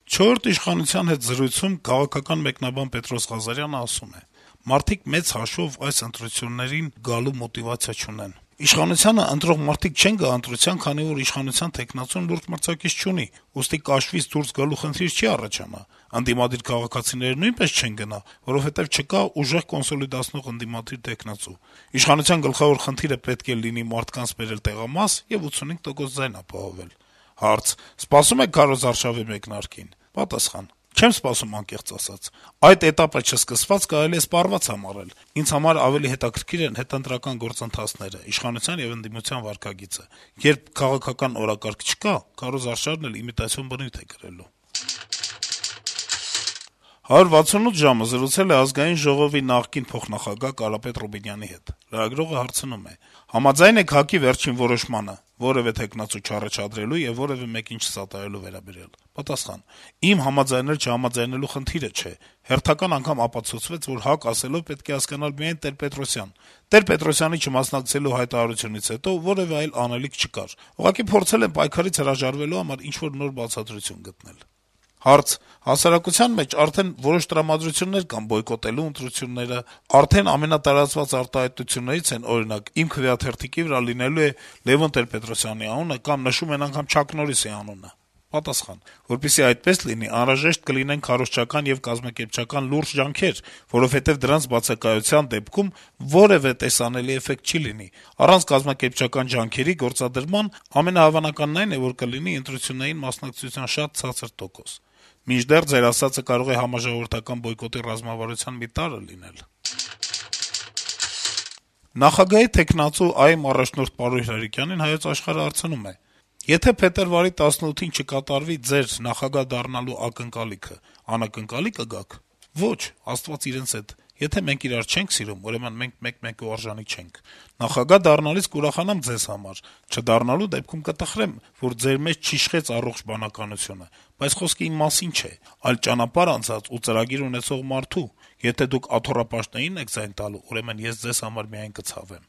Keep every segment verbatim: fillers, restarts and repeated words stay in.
Չորրորդ իշխանության հետ զրույցում քաղաքական մեկնաբան Պետրոս Ղազարյանը ասում է. - «Մարդիկ մեծ հաշվով այս ընտրություններին գալու մոտիվացիա չունեն: Իշխանությանը ընտրող մարդիկ չեն գա ընտրության, քանի որ իշխանության թեկնածուն լուրջ մրցակից չունի, ուստի կաշվից դուրս գալու խնդիր չի առաջանա: Ընդդիմադիր քաղաքացիները նույնպես չեն գնա, որովհետեւ չկա ուժեղ կոնսոլիդացնող ընդդիմադիր թեկնածու: Իշխանության գլխավոր խնդիրը պետք է լինի մարդկանց բերել տեղամաս եւ ութսունհինգ տոկոս ձայն ապահովել»: Հարց. - «Սպասում եք քարոզարշավի մեկնարկին»: Պատասխան. - «Չեմ սպասում, անկեղծ ասած: Այդ էտապը չսկսված կարելի է սպառված համարել: Ինձ համար ավելի հետաքրքիր են հետընտրական գործընթացները, իշխանության եւ ընդդիմության վարքագիծը: Երբ քաղաքական օրակարգ չկա, քարոզարշավն էլ իմիտացիոն բնույթ է կրելու»: «հարյուր վաթսունութ ժամ»-ը զրուցել է Ազգային ժողովի նախկին փոխնախագահ Կարապետ Ռուբինյանի հետ: Լրագրողը հարցնում է. - «Համաձայն եք ՀԱԿ-ի վերջին որոշմանը` որեւէ թեկնածու չառաջադրելու եւ որեւէ մեկին չսատարելու վերաբերյալ»: Պատասխան. - «Իմ համաձայնել-չհամաձայնելու խնդիրը չէ: Հերթական անգամ ապացուցվեց, որ ՀԱԿ ասելով պետք է հասկանալ միայն Տեր-Պետրոսյան: Տեր-Պետրոսյանի չմասնակցելու հայտարարությունից հետո որեւէ այլ անելիք չկար: Ուղղակի փորձել եմ պայքարից հրաժարվելու համար ինչ-որ նոր բացատրություն գտնել»: Հարց. - «Հասարակության մեջ արդեն որոշ տրամադրություններ կան բոյկոտելու ընտրությունները: Արդեն ամենատարածված արտահայտություններից են, օրինակ, «Իմ քվեաթերթիկի վրա լինելու է Լեւոն Տեր-Պետրոսյանի անունը» կամ նշում են անգամ Չակ Նորրիսի անունը: Պատասխան. - «Որպեսզի այդպես լինի, անհրաժեշտ կլինեն քարոզչական եւ կազմակերպչական լուրջ ջանքեր, որովհետեւ դրանց բացակայության դեպքում որեւէ տեսանելի էֆեկտ չի լինի: Առանց կազմակերպչական ջանքերի գործադրման ամենահավանականն այն է, որ կլինի ընտրություններին մասնակցության շատ ցածր տոկոս: Մինչդեռ Ձեր ասածը կարող է համաժողովրդական բոյկոտի ռազմավարության մի տարր լինել»: Նախագահի թեկնածու ԱԻ-մ առաջնորդ Պարույր Հայրիկյանին «Հայոց Աշխարհ»-ը հարցնում է. - «Եթե փետրվարի տասնութին չկատարվի Ձեր նախագահ դառնալու ակնկալիքը, անակնկալի կգաք»: «Ոչ, Աստված իրենց հետ: Եթե մենք իրար չենք սիրում, ուրեմն մենք մեկ-մեկու արժանի չենք: Նախագահ դառնալիս կուրախանամ Ձեզ համար, չդառնալու դեպքում կտխրեմ, որ Ձեր մեջ չիշխեց առողջ բանականությունը: Բայց խոսքը իմ մասին չէ, այլ ճանապարհ անցած ու ծրագիր ունեցող մարդու: Եթե Դուք աթոռապաշտներին եք ձայն տալու, ուրեմն ես Ձեզ համար միայն կցավեմ»: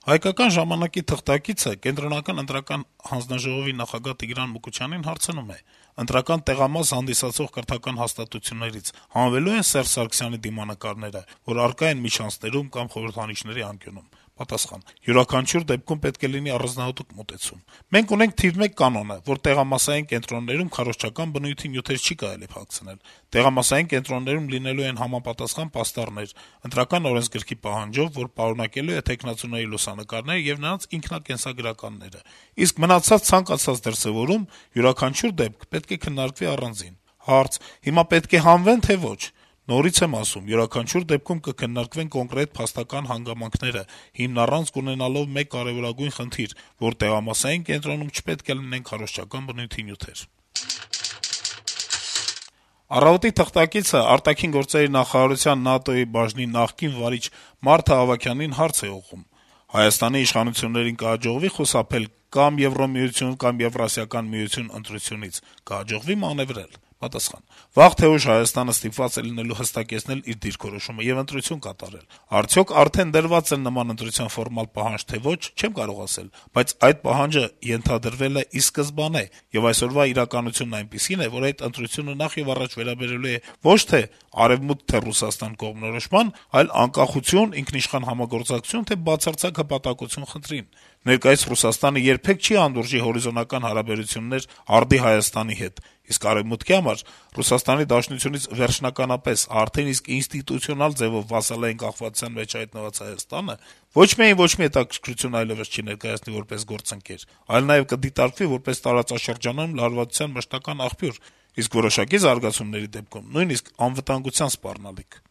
«Հայկական ժամանակ»-ի թղթակիցը Կենտրոնական ընտրական հանձնաժողովի նախագահ Տիգրան Մուկուչյանին հարցնում է. - «Ընտրական տեղամաս հանդիսացող կրթական հաստատություններից հանվելո՞ւ են Սերժ Սարգսյանի դիմանկարները, որ առկա են միջանցքներում կամ խորհրդանիշների անկյունում»: Պատասխան. - «Յուրաքանչյուր դեպքում պետք է լինի առանձնահատուկ մոտեցում: Մենք ունենք թիվ մեկ կանոնը, որ տեղամասային կենտրոններում քարոզչական բնույթի նյութեր չի կարելի փակցնել: Տեղամասային կենտրոններում լինելու են համապատասխան պաստառներ` Ընտրական օրենսգրքի պահանջով, որ պարունակելու է թեկնածուների լուսանկարները եւ նրանց ինքնակենսագրականները: Իսկ մնացած ցանկացած դրսեւորում, յուրաքանչյուր դեպք պետք է քննարկվի առանձին»: Հարց. - «Հիմա պետք է հանվե՞ն, թե ոչ»: Նորից եմ ասում, յուրաքանչյուր դեպքում կքննարկվեն կոնկրետ փաստական հանգամանքները, հիմնառանցք ունենալով մեկ կարեւորագույն խնդիր, որ տեղամասային կենտրոնում չպետք է լինեն քարոզչական բնույթի նյութեր»: «Առավոտ»-ի թղթակիցը արտաքին գործերի նախարարության ՆԱՏՕ-ի բաժնի նախկին վարիչ Մարթա Ավագյանին հարց է ուղղում. - «Հայաստանի իշխանություններին կհաջողվի՞ խուսափել կա՛մ Եվրամիություն, կա՛մ Եվրասիական միություն ընտրությունից, կհաջողվի՞ մանեւրել»: Պատասխան. - «Վաղ թե ուշ Հայաստանը ստիպված է լինելու հստակեցնել իր դիրքորոշումը եւ ընտրություն կատարել: Արդյոք արդեն դրվա՞ծ է նման ընտրության ֆորմալ պահանջ, թե ոչ, չեմ կարող ասել, բայց այդ պահանջը ենթադրվել է ի սկզբանե, եւ այսօրվա իրականությունն այնպիսին է, որ այդ ընտրությունը նախեւառաջ վերաբերելու է ոչ թե Արեւմուտք, թե Ռուսաստան կողմնորոշման, այլ անկախություն, ինքնիշխան համագործակցություն, թե բացարձակ հպատակություն խնդրին: Ներկայիս Ռուսաստանը երբեք չի հանդուրժի հորիզոնական հարաբերություններ արդի Հայաստանի հետ, իսկ Արեւմուտքի համար Ռուսաստանի Դաշնությունից վերջնականապես, արդեն իսկ ինստիտուցիոնալ ձեւով վասալային կախվածության մեջ հայտնված Հայաստանը ոչ միայն ոչ մի հետաքրքրություն այլեւս չի ներկայացնի որպես գործընկեր, այլ նաեւ կդիտարկվի որպես տարածաշրջանում լարվածության մշտական աղբյուր, իսկ որոշակի զարգացումների դեպքում նույնիսկ անվտանգության սպառնալիք»: